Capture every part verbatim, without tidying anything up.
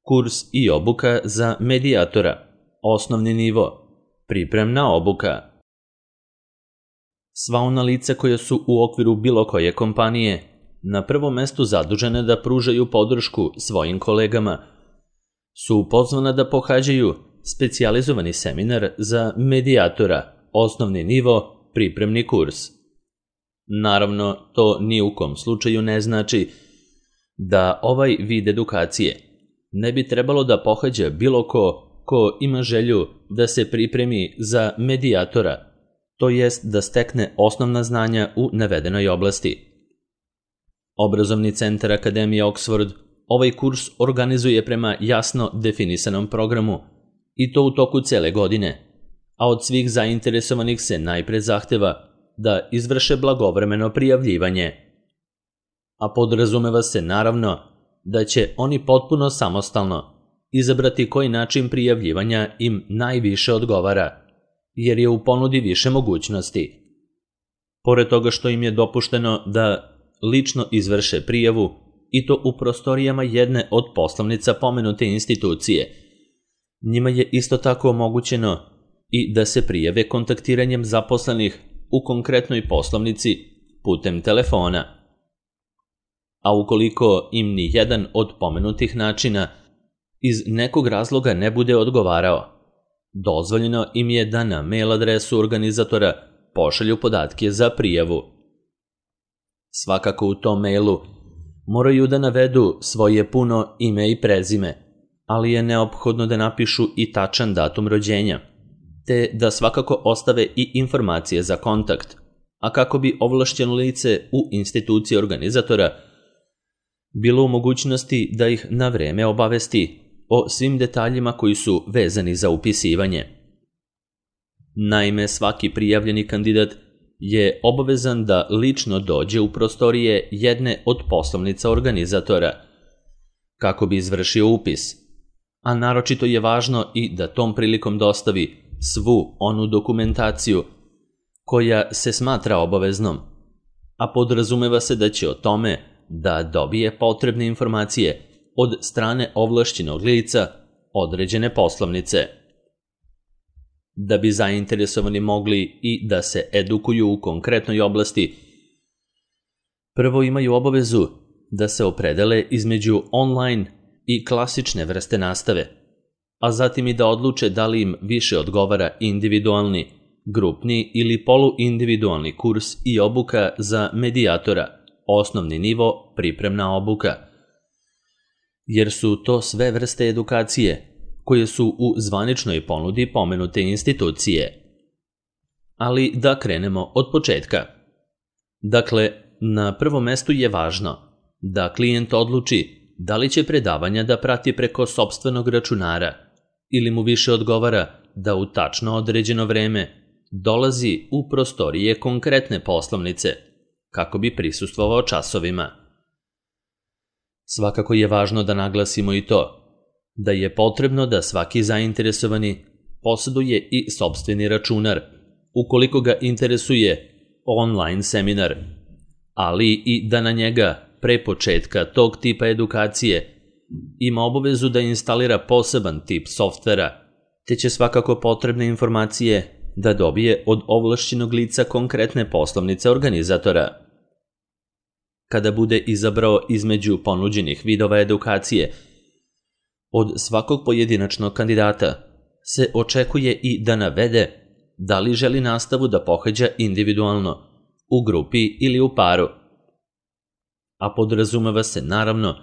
Kurs i obuka za medijatora, osnovni nivo, pripremna obuka. Sva ona lica koja su u okviru bilo koje kompanije na prvom mestu zadužene da pružaju podršku svojim kolegama su pozvana da pohađaju specijalizovani seminar za medijatora, osnovni nivo, pripremni kurs. Naravno, to ni u kom slučaju ne znači da ovaj vid edukacije ne bi trebalo da pohađa bilo ko ko ima želju da se pripremi za medijatora, to jest da stekne osnovna znanja u navedenoj oblasti. Obrazovni centar Akademije Oxford ovaj kurs organizuje prema jasno definisanom programu i to u toku cele godine, a od svih zainteresovanih se najpre zahteva da izvrše blagovremeno prijavljivanje. A podrazumeva se naravno da će oni potpuno samostalno izabrati koji način prijavljivanja im najviše odgovara, jer je u ponudi više mogućnosti. Pored toga što im je dopušteno da lično izvrše prijavu i to u prostorijama jedne od poslovnica pomenute institucije, njima je isto tako omogućeno i da se prijave kontaktiranjem zaposlenih u konkretnoj poslovnici putem telefona. A ukoliko im ni jedan od pomenutih načina iz nekog razloga ne bude odgovarao, dozvoljeno im je da na mail adresu organizatora pošalju podatke za prijavu. Svakako u tom mailu moraju da navedu svoje puno ime i prezime, ali je neophodno da napišu i tačan datum rođenja, te da svakako ostave i informacije za kontakt, a kako bi ovlašćeno lice u instituciji organizatora bilo u mogućnosti da ih na vreme obavesti o svim detaljima koji su vezani za upisivanje. Naime, svaki prijavljeni kandidat je obavezan da lično dođe u prostorije jedne od poslovnica organizatora kako bi izvršio upis, a naročito je važno i da tom prilikom dostavi svu onu dokumentaciju koja se smatra obaveznom, a podrazumeva se da će o tome da dobije potrebne informacije od strane ovlašćenog lica određene poslovnice. Da bi zainteresovani mogli i da se edukuju u konkretnoj oblasti, prvo imaju obavezu da se opredele između online i klasične vrste nastave, a zatim i da odluče da li im više odgovara individualni, grupni ili poluindividualni kurs i obuka za medijatora, osnovni nivo, pripremna obuka, jer su to sve vrste edukacije koje su u zvaničnoj ponudi pomenute institucije. Ali da krenemo od početka. Dakle, na prvom mestu je važno da klijent odluči da li će predavanja da prati preko sopstvenog računara ili mu više odgovara da u tačno određeno vreme dolazi u prostorije konkretne poslovnice kako bi prisustvovao časovima. Svakako je važno da naglasimo i to da je potrebno da svaki zainteresovani posjeduje i sopstveni računar ukoliko ga interesuje online seminar, ali i da na njega pre početka tog tipa edukacije ima obavezu da instalira poseban tip softvera, te će svakako potrebne informacije da dobije od ovlašćenog lica konkretne poslovnice organizatora. Kada bude izabrao između ponuđenih vidova edukacije, od svakog pojedinačnog kandidata se očekuje i da navede da li želi nastavu da pohađa individualno, u grupi ili u paru. A podrazumeva se naravno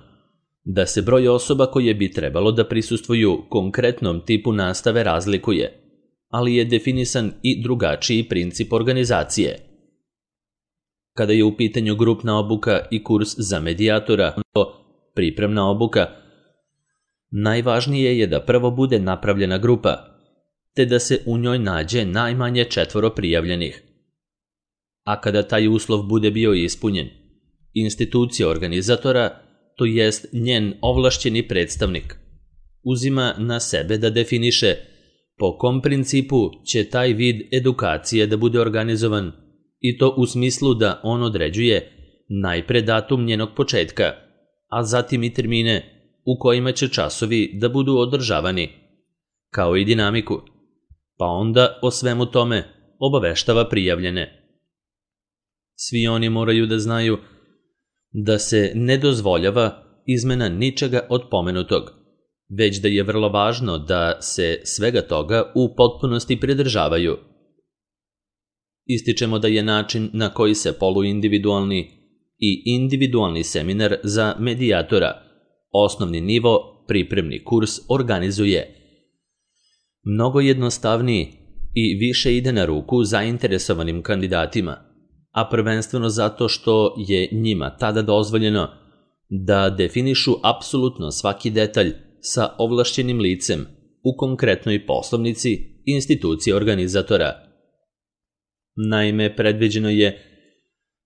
da se broj osoba koje bi trebalo da prisustvuju konkretnom tipu nastave razlikuje, ali je definisan i drugačiji princip organizacije. Kada je u pitanju grupna obuka i kurs za medijatora, pripremna obuka, najvažnije je da prvo bude napravljena grupa, te da se u njoj nađe najmanje četvoro prijavljenih. A kada taj uslov bude bio ispunjen, institucija organizatora, to jest njen ovlašćeni predstavnik, uzima na sebe da definiše po kom principu će taj vid edukacije da bude organizovan, i to u smislu da on određuje najpre datum njenog početka, a zatim i termine u kojima će časovi da budu održavani, kao i dinamiku, pa onda o svemu tome obaveštava prijavljene. Svi oni moraju da znaju da se ne dozvoljava izmena ničega od pomenutog, već da je vrlo važno da se svega toga u potpunosti pridržavaju. Ističemo da je način na koji se poluindividualni i individualni seminar za medijatora, osnovni nivo, pripremni kurs organizuje mnogo jednostavniji i više ide na ruku zainteresovanim kandidatima, a prvenstveno zato što je njima tada dozvoljeno da definišu apsolutno svaki detalj sa ovlašćenim licem u konkretnoj poslovnici institucije organizatora. Naime, predviđeno je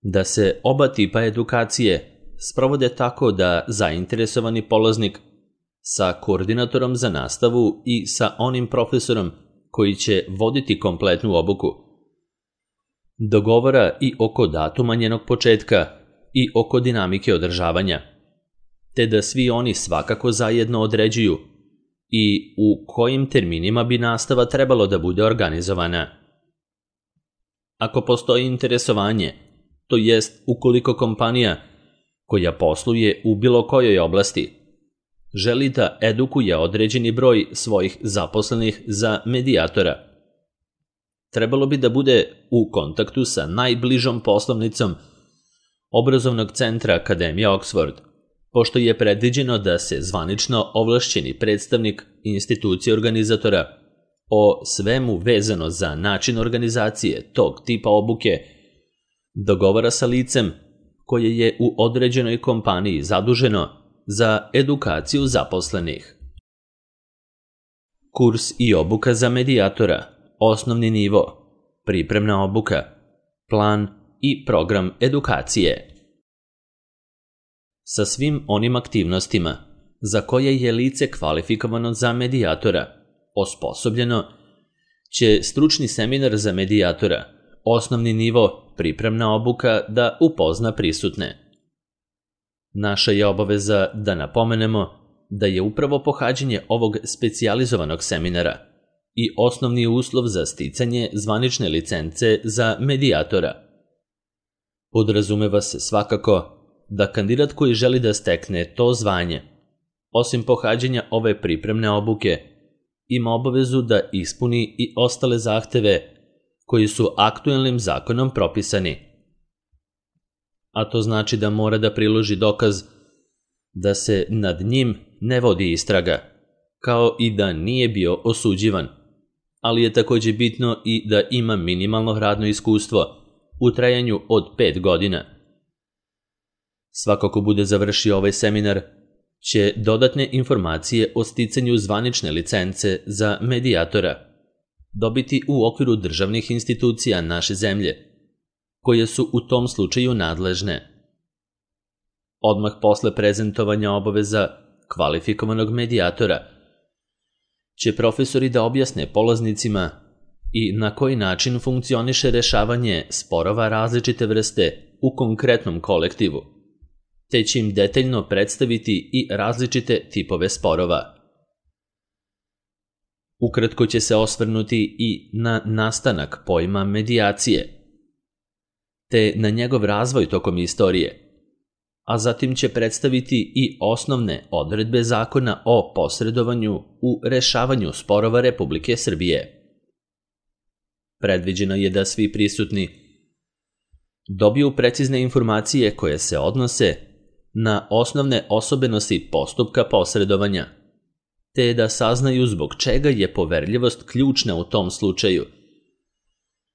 da se oba tipa edukacije sprovode tako da zainteresovani polaznik sa koordinatorom za nastavu i sa onim profesorom koji će voditi kompletnu obuku dogovara i oko datuma njenog početka i oko dinamike održavanja, te da svi oni svakako zajedno određuju i u kojim terminima bi nastava trebalo da bude organizovana. Ako postoji interesovanje, to jest ukoliko kompanija koja posluje u bilo kojoj oblasti želi da edukuje određeni broj svojih zaposlenih za medijatora, trebalo bi da bude u kontaktu sa najbližom poslovnicom obrazovnog centra Akademija Oxford, pošto je predviđeno da se zvanično ovlašćeni predstavnik institucije organizatora o svemu vezano za način organizacije tog tipa obuke dogovara sa licem koje je u određenoj kompaniji zaduženo za edukaciju zaposlenih. Kurs i obuka za medijatora, osnovni nivo, pripremna obuka, plan i program edukacije. Sa svim onim aktivnostima za koje je lice kvalifikovano za medijatora osposobljeno, će stručni seminar za medijatora, osnovni nivo, pripremna obuka da upozna prisutne. Naša je obaveza da napomenemo da je upravo pohađanje ovog specijalizovanog seminara i osnovni uslov za sticanje zvanične licence za medijatora. Podrazumeva se svakako da kandidat koji želi da stekne to zvanje, osim pohađanja ove pripremne obuke, ima obavezu da ispuni i ostale zahteve koji su aktuelnim zakonom propisani. A to znači da mora da priloži dokaz da se nad njim ne vodi istraga, kao i da nije bio osuđivan, ali je takođe bitno i da ima minimalno radno iskustvo u trajanju od pet godina. Svako ko bude završio ovaj seminar će dodatne informacije o sticanju zvanične licence za medijatora dobiti u okviru državnih institucija naše zemlje, koje su u tom slučaju nadležne. Odmah posle prezentovanja obaveza kvalifikovanog medijatora će profesori da objasne polaznicima i na koji način funkcioniše rešavanje sporova različite vrste u konkretnom kolektivu, te će im detaljno predstaviti i različite tipove sporova. Ukratko će se osvrnuti i na nastanak pojma medijacije, te na njegov razvoj tokom istorije, a zatim će predstaviti i osnovne odredbe zakona o posredovanju u rešavanju sporova Republike Srbije. Predviđeno je da svi prisutni dobiju precizne informacije koje se odnose na osnovne osobenosti postupka posredovanja, te da saznaju zbog čega je poverljivost ključna u tom slučaju,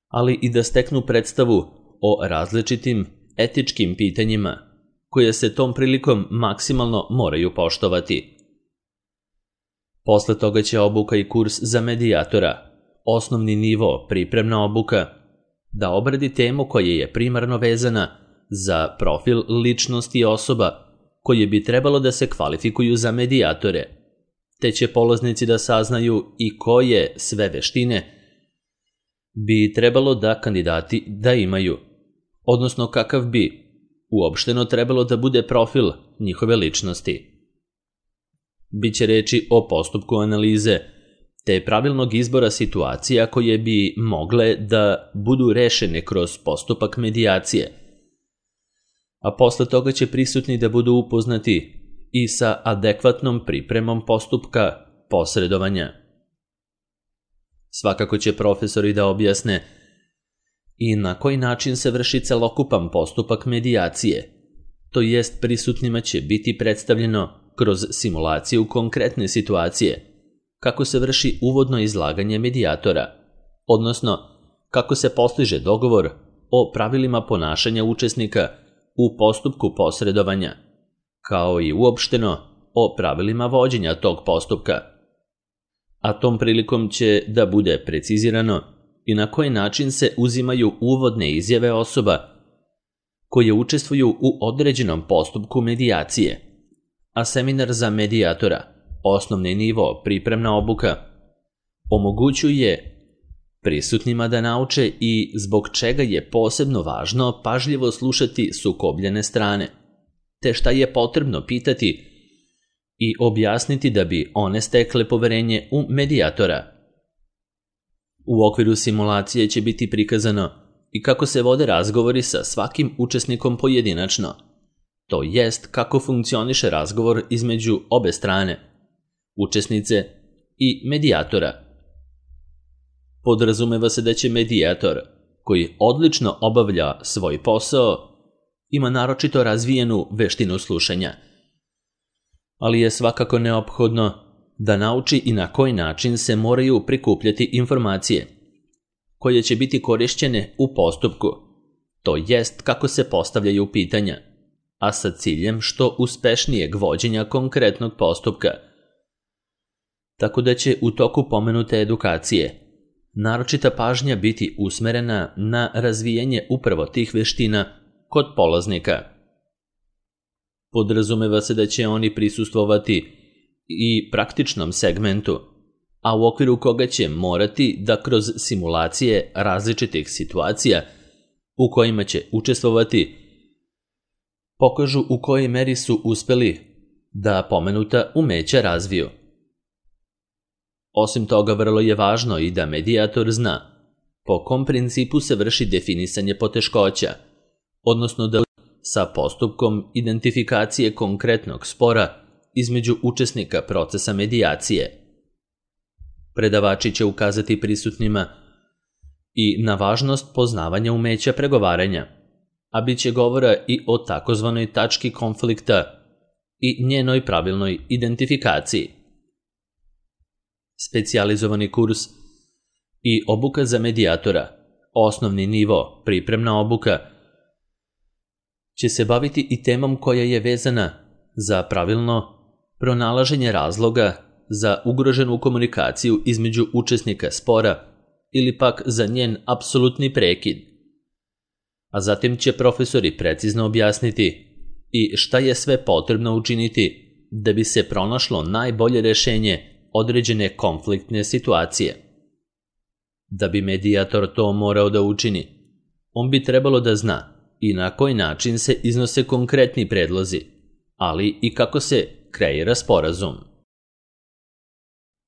ali i da steknu predstavu o različitim etičkim pitanjima koje se tom prilikom maksimalno moraju poštovati. Posle toga će obuka i kurs za medijatora, osnovni nivo, pripremna obuka, da obradi temu koja je primarno vezana za profil ličnosti osoba koje bi trebalo da se kvalifikuju za medijatore, te će polaznici da saznaju i koje sve veštine bi trebalo da kandidati da imaju, odnosno kakav bi uopšteno trebalo da bude profil njihove ličnosti. Biće reči o postupku analize, te pravilnog izbora situacija koje bi mogle da budu rešene kroz postupak medijacije. A posle toga će prisutni da budu upoznati i sa adekvatnom pripremom postupka posredovanja. Svakako će profesori da objasne i na koji način se vrši celokupan postupak medijacije, to jest prisutnima će biti predstavljeno kroz simulaciju konkretne situacije, kako se vrši uvodno izlaganje medijatora, odnosno kako se postiže dogovor o pravilima ponašanja učesnika u postupku posredovanja, kao i uopšteno o pravilima vođenja tog postupka. A tom prilikom će da bude precizirano i na koji način se uzimaju uvodne izjave osoba koje učestvuju u određenom postupku medijacije, a seminar za medijatora, osnovni nivo, pripremna obuka, omogućuje prisutnima da nauče i zbog čega je posebno važno pažljivo slušati sukobljene strane, te šta je potrebno pitati i objasniti da bi one stekle poverenje u medijatora. U okviru simulacije će biti prikazano i kako se vode razgovori sa svakim učesnikom pojedinačno, to jest kako funkcioniše razgovor između obe strane, učesnice i medijatora. Podrazumeva se da će medijator, koji odlično obavlja svoj posao, ima naročito razvijenu veštinu slušanja, ali je svakako neophodno da nauči i na koji način se moraju prikupljati informacije, koje će biti korišćene u postupku, to jest kako se postavljaju pitanja, a sa ciljem što uspešnijeg vođenja konkretnog postupka. Tako da će u toku pomenute edukacije naročita pažnja biti usmerena na razvijanje upravo tih veština kod polaznika. Podrazumeva se da će oni prisustvovati i praktičnom segmentu, a u okviru koga će morati da kroz simulacije različitih situacija u kojima će učestvovati pokažu u kojoj meri su uspeli da pomenuta umeća razviju. Osim toga, vrlo je važno i da medijator zna po kom principu se vrši definisanje poteškoća, odnosno da sa postupkom identifikacije konkretnog spora između učesnika procesa medijacije. Predavači će ukazati prisutnima i na važnost poznavanja umeća pregovaranja, a bit će govora i o takozvanoj tački konflikta i njenoj pravilnoj identifikaciji. Specijalizovani kurs i obuka za medijatora, osnovni nivo, pripremna obuka, će se baviti i temom koja je vezana za pravilno pronalaženje razloga za ugroženu komunikaciju između učesnika spora ili pak za njen apsolutni prekid. A zatim će profesori precizno objasniti i šta je sve potrebno učiniti da bi se pronašlo najbolje rešenje određene konfliktne situacije. Da bi medijator to morao da učini, on bi trebalo da zna i na koji način se iznose konkretni predlozi, ali i kako se kreira sporazum.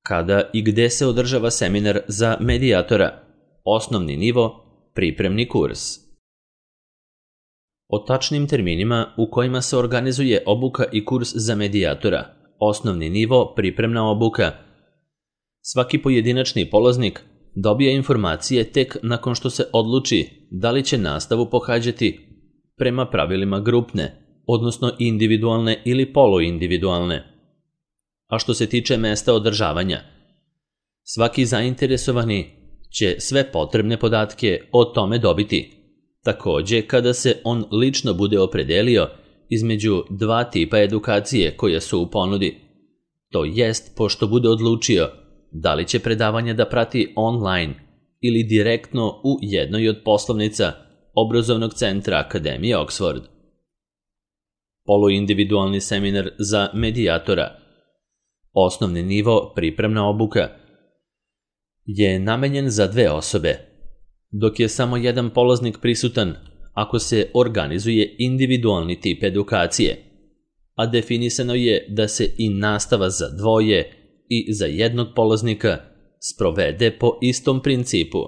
Kada i gde se održava seminar za medijatora, osnovni nivo, pripremni kurs. O tačnim terminima u kojima se organizuje obuka i kurs za medijatora, osnovni nivo, pripremna obuka, svaki pojedinačni polaznik dobija informacije tek nakon što se odluči da li će nastavu pohađati prema pravilima grupne, odnosno individualne ili poluindividualne. A što se tiče mesta održavanja, svaki zainteresovani će sve potrebne podatke o tome dobiti, takođe kada se on lično bude opredelio između dva tipa edukacije koje su u ponudi, to jest pošto bude odlučio da li će predavanje da prati online ili direktno u jednoj od poslovnica obrazovnog centra Akademije Oxford. Poluindividualni seminar za medijatora, osnovni nivo, pripremna obuka, je namenjen za dve osobe, dok je samo jedan polaznik prisutan ako se organizuje individualni tip edukacije. a definisano je da se i nastava za dvoje i za jednog polaznika sprovede po istom principu.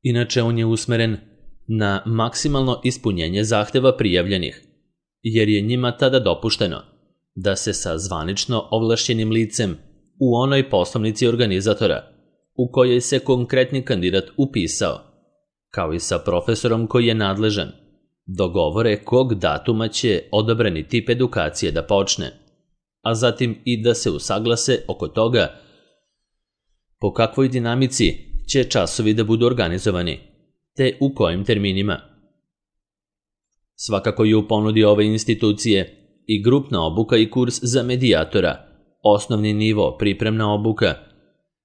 Inače, on je usmeren na maksimalno ispunjenje zahteva prijavljenih, jer je njima tada dopušteno da se sa zvanično ovlašćenim licem u onoj poslovnici organizatora u kojoj se konkretni kandidat upisao, kao i sa profesorom koji je nadležan, dogovore kog datuma će odabrani tip edukacije da počne, a zatim i da se usaglase oko toga po kakvoj dinamici će časovi da budu organizovani, te u kojim terminima. Svakako je u ponudi ove institucije i grupna obuka i kurs za medijatora, osnovni nivo pripremna obuka,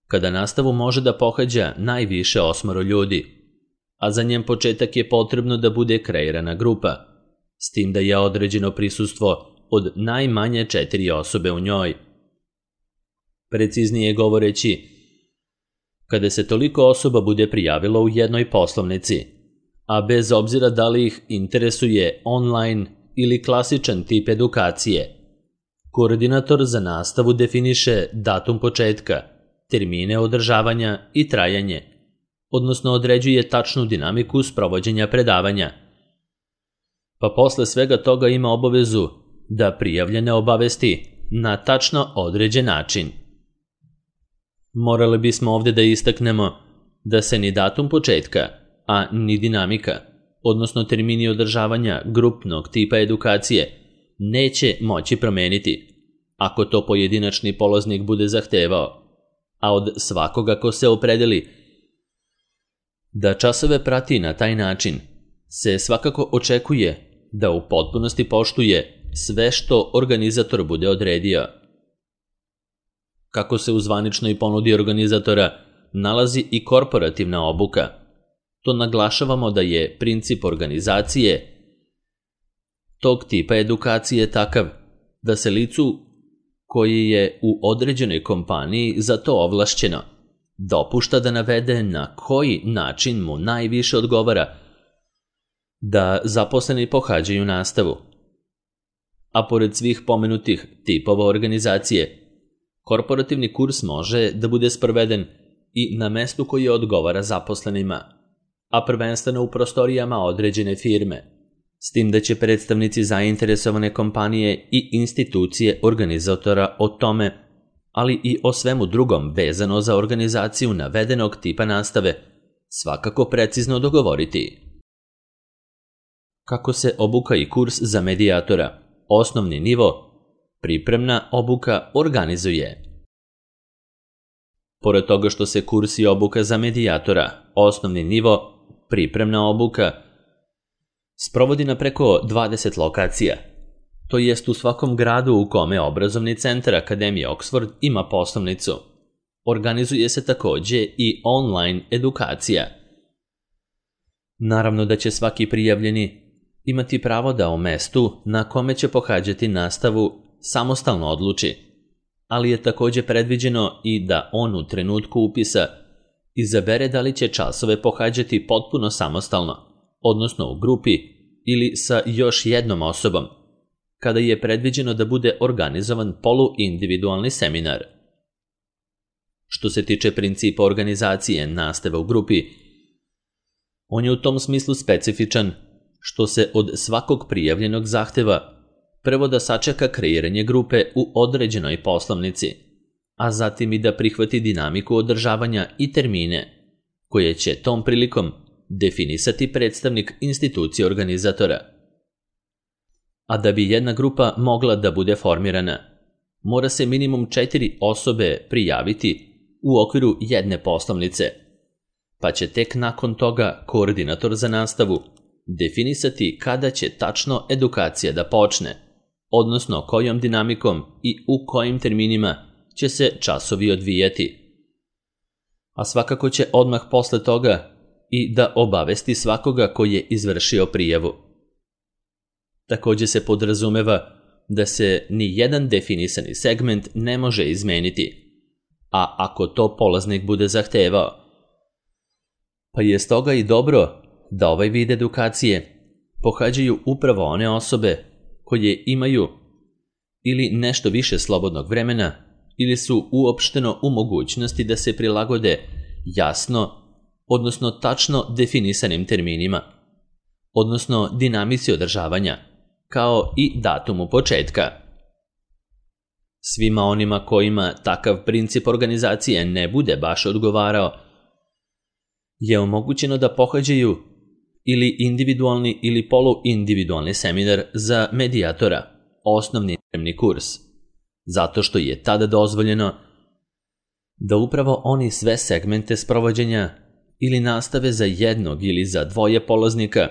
kada nastavu može da pohađa najviše osmoro ljudi, a za njen početak je potrebno da bude kreirana grupa, s tim da je određeno prisustvo od najmanje četiri osobe u njoj. Preciznije govoreći, kada se toliko osoba bude prijavilo u jednoj poslovnici, a bez obzira da li ih interesuje online ili klasičan tip edukacije, koordinator za nastavu definiše datum početka, termine održavanja i trajanje, odnosno određuje tačnu dinamiku sprovođenja predavanja. Pa posle svega toga ima obavezu da prijavljene obavesti na tačno određen način. Morali bismo ovde da istaknemo da se ni datum početka, a ni dinamika, odnosno termini održavanja grupnog tipa edukacije, neće moći promeniti ako to pojedinačni polaznik bude zahtevao, a od svakoga ko se opredeli da časove prati na taj način se svakako očekuje da u potpunosti poštuje sve što organizator bude odredio. Kako se u zvaničnoj ponudi organizatora nalazi i korporativna obuka, to naglašavamo da je princip organizacije tog tipa edukacije takav da se licu koji je u određenoj kompaniji za to ovlašćeno dopušta da navede na koji način mu najviše odgovara da zaposleni pohađaju nastavu. A pored svih pomenutih tipova organizacije, korporativni kurs može da bude sproveden i na mestu koje odgovara zaposlenima, a prvenstveno u prostorijama određene firme, s tim da će predstavnici zainteresovane kompanije i institucije organizatora o tome, ali i o svemu drugom vezano za organizaciju navedenog tipa nastave, svakako precizno dogovoriti. Kako se obuka i kurs za medijatora, osnovni nivo, pripremna obuka organizuje? Pored toga što se kurs i obuka za medijatora, osnovni nivo, pripremna obuka, sprovodi na preko dvadeset lokacija, to jest u svakom gradu u kome obrazovni centar Akademije Oxford ima poslovnicu. Organizuje se takođe i online edukacija. Naravno da će svaki prijavljeni imati pravo da o mestu na kome će pohađati nastavu samostalno odluči, ali je takođe predviđeno i da on u trenutku upisa izabere da li će časove pohađati potpuno samostalno, odnosno u grupi ili sa još jednom osobom, kada je predviđeno da bude organizovan poluindividualni seminar. Što se tiče principa organizacije nastave u grupi, on je u tom smislu specifičan što se od svakog prijavljenog zahteva prvo da sačeka kreiranje grupe u određenoj poslovnici, a zatim i da prihvati dinamiku održavanja i termine, koje će tom prilikom definisati predstavnik institucije organizatora. A da bi jedna grupa mogla da bude formirana, mora se minimum četiri osobe prijaviti u okviru jedne poslovnice, pa će tek nakon toga koordinator za nastavu definisati kada će tačno edukacija da počne, odnosno kojom dinamikom i u kojim terminima će se časovi odvijati. A svakako će odmah posle toga i da obavesti svakoga ko je izvršio prijavu. Takođe se podrazumeva da se ni jedan definisani segment ne može izmeniti, a ako to polaznik bude zahtevao. Pa je stoga i dobro da ovaj vid edukacije pohađaju upravo one osobe koje imaju ili nešto više slobodnog vremena ili su uopšteno u mogućnosti da se prilagode jasno, odnosno tačno definisanim terminima, odnosno dinamici održavanja, kao i datumu početka. Svima onima kojima takav princip organizacije ne bude baš odgovarao, je omogućeno da pohađaju ili individualni ili poluindividualni seminar za medijatora, osnovni pripremni kurs, zato što je tada dozvoljeno da upravo oni sve segmente sprovođenja ili nastave za jednog ili za dvoje polaznika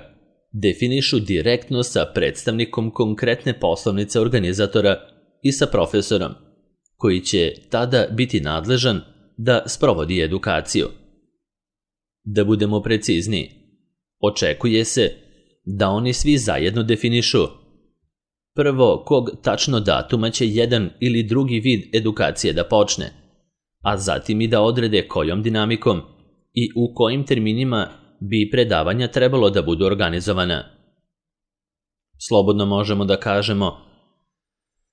definišu direktno sa predstavnikom konkretne poslovnice organizatora i sa profesorom, koji će tada biti nadležan da sprovodi edukaciju. Da budemo precizniji, očekuje se da oni svi zajedno definišu prvo kog tačno datuma će jedan ili drugi vid edukacije da počne, a zatim i da odrede kojom dinamikom i u kojim terminima bi predavanja trebalo da budu organizovana. Slobodno možemo da kažemo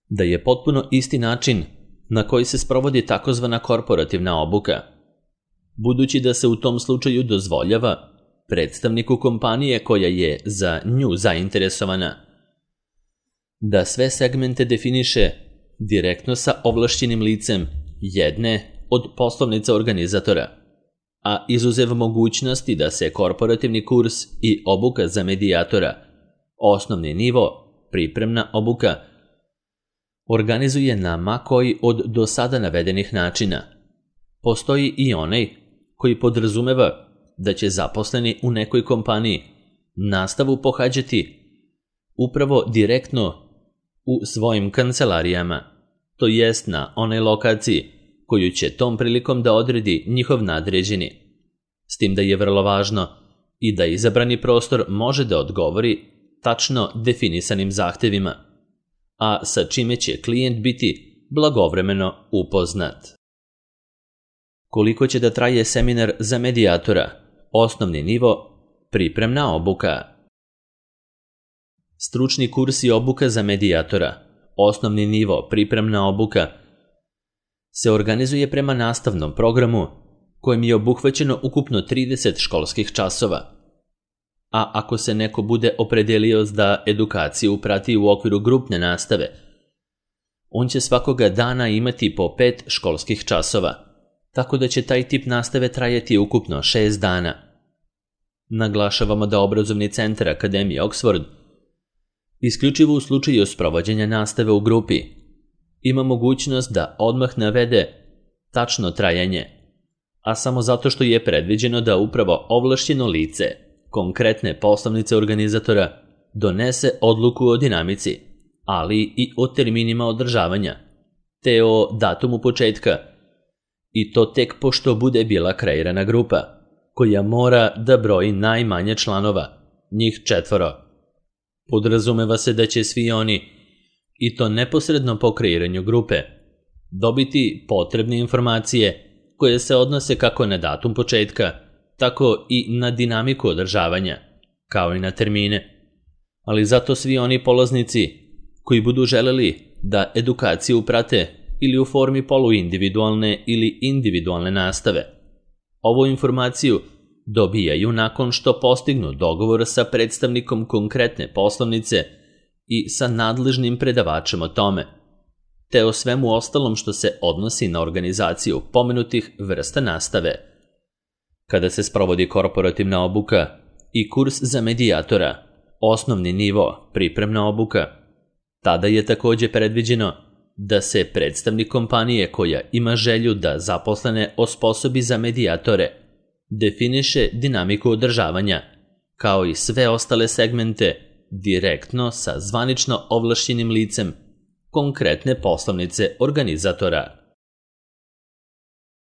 da je potpuno isti način na koji se sprovodi takozvana korporativna obuka, budući da se u tom slučaju dozvoljava predstavniku kompanije koja je za nju zainteresovana da sve segmente definiše direktno sa ovlašćenim licem jedne od poslovnica organizatora, a izuzev mogućnosti da se korporativni kurs i obuka za medijatora, osnovni nivo, pripremna obuka, organizuje na ma koji od do sada navedenih načina. Postoji i onaj koji podrazumeva da će zaposleni u nekoj kompaniji nastavu pohađati upravo direktno u svojim kancelarijama, to jest na onoj lokaciji koju će tom prilikom da odredi njihov nadređeni, s tim da je vrlo važno i da izabrani prostor može da odgovori tačno definisanim zahtevima, a sa čime će klijent biti blagovremeno upoznat. Koliko će da traje seminar za medijatora, osnovni nivo, pripremna obuka? Stručni kurs i obuka za medijatora, osnovni nivo, pripremna obuka, se organizuje prema nastavnom programu kojem je obuhvaćeno ukupno trideset školskih časova. A ako se neko bude opredelio da edukaciju prati u okviru grupne nastave, on će svakoga dana imati po pet školskih časova, tako da će taj tip nastave trajati ukupno šest dana. Naglašavamo da obrazovni centar Akademije Oxford, isključivo u slučaju sprovođenja nastave u grupi, ima mogućnost da odmah navede tačno trajanje, a samo zato što je predviđeno da upravo ovlašćeno lice konkretne poslovnice organizatora donese odluku o dinamici, ali i o terminima održavanja, te o datumu početka, i to tek pošto bude bila kreirana grupa, koja mora da broji najmanje članova, njih četvoro. Podrazumeva se da će svi oni, i to neposredno po kreiranju grupe, dobiti potrebne informacije koje se odnose kako na datum početka, tako i na dinamiku održavanja, kao i na termine. Ali zato svi oni polaznici koji budu želeli da edukaciju prate ili u formi poluindividualne ili individualne nastave, ovu informaciju dobijaju nakon što postignu dogovor sa predstavnikom konkretne poslovnice i sa nadležnim predavačem o tome, te o svemu ostalom što se odnosi na organizaciju pomenutih vrsta nastave. Kada se sprovodi korporativna obuka i kurs za medijatora, osnovni nivo, pripremna obuka, tada je takođe predviđeno da se predstavnik kompanije koja ima želju da zaposlene osposobi za medijatore definiše dinamiku održavanja, kao i sve ostale segmente direktno sa zvanično ovlašćenim licem konkretne poslovnice organizatora.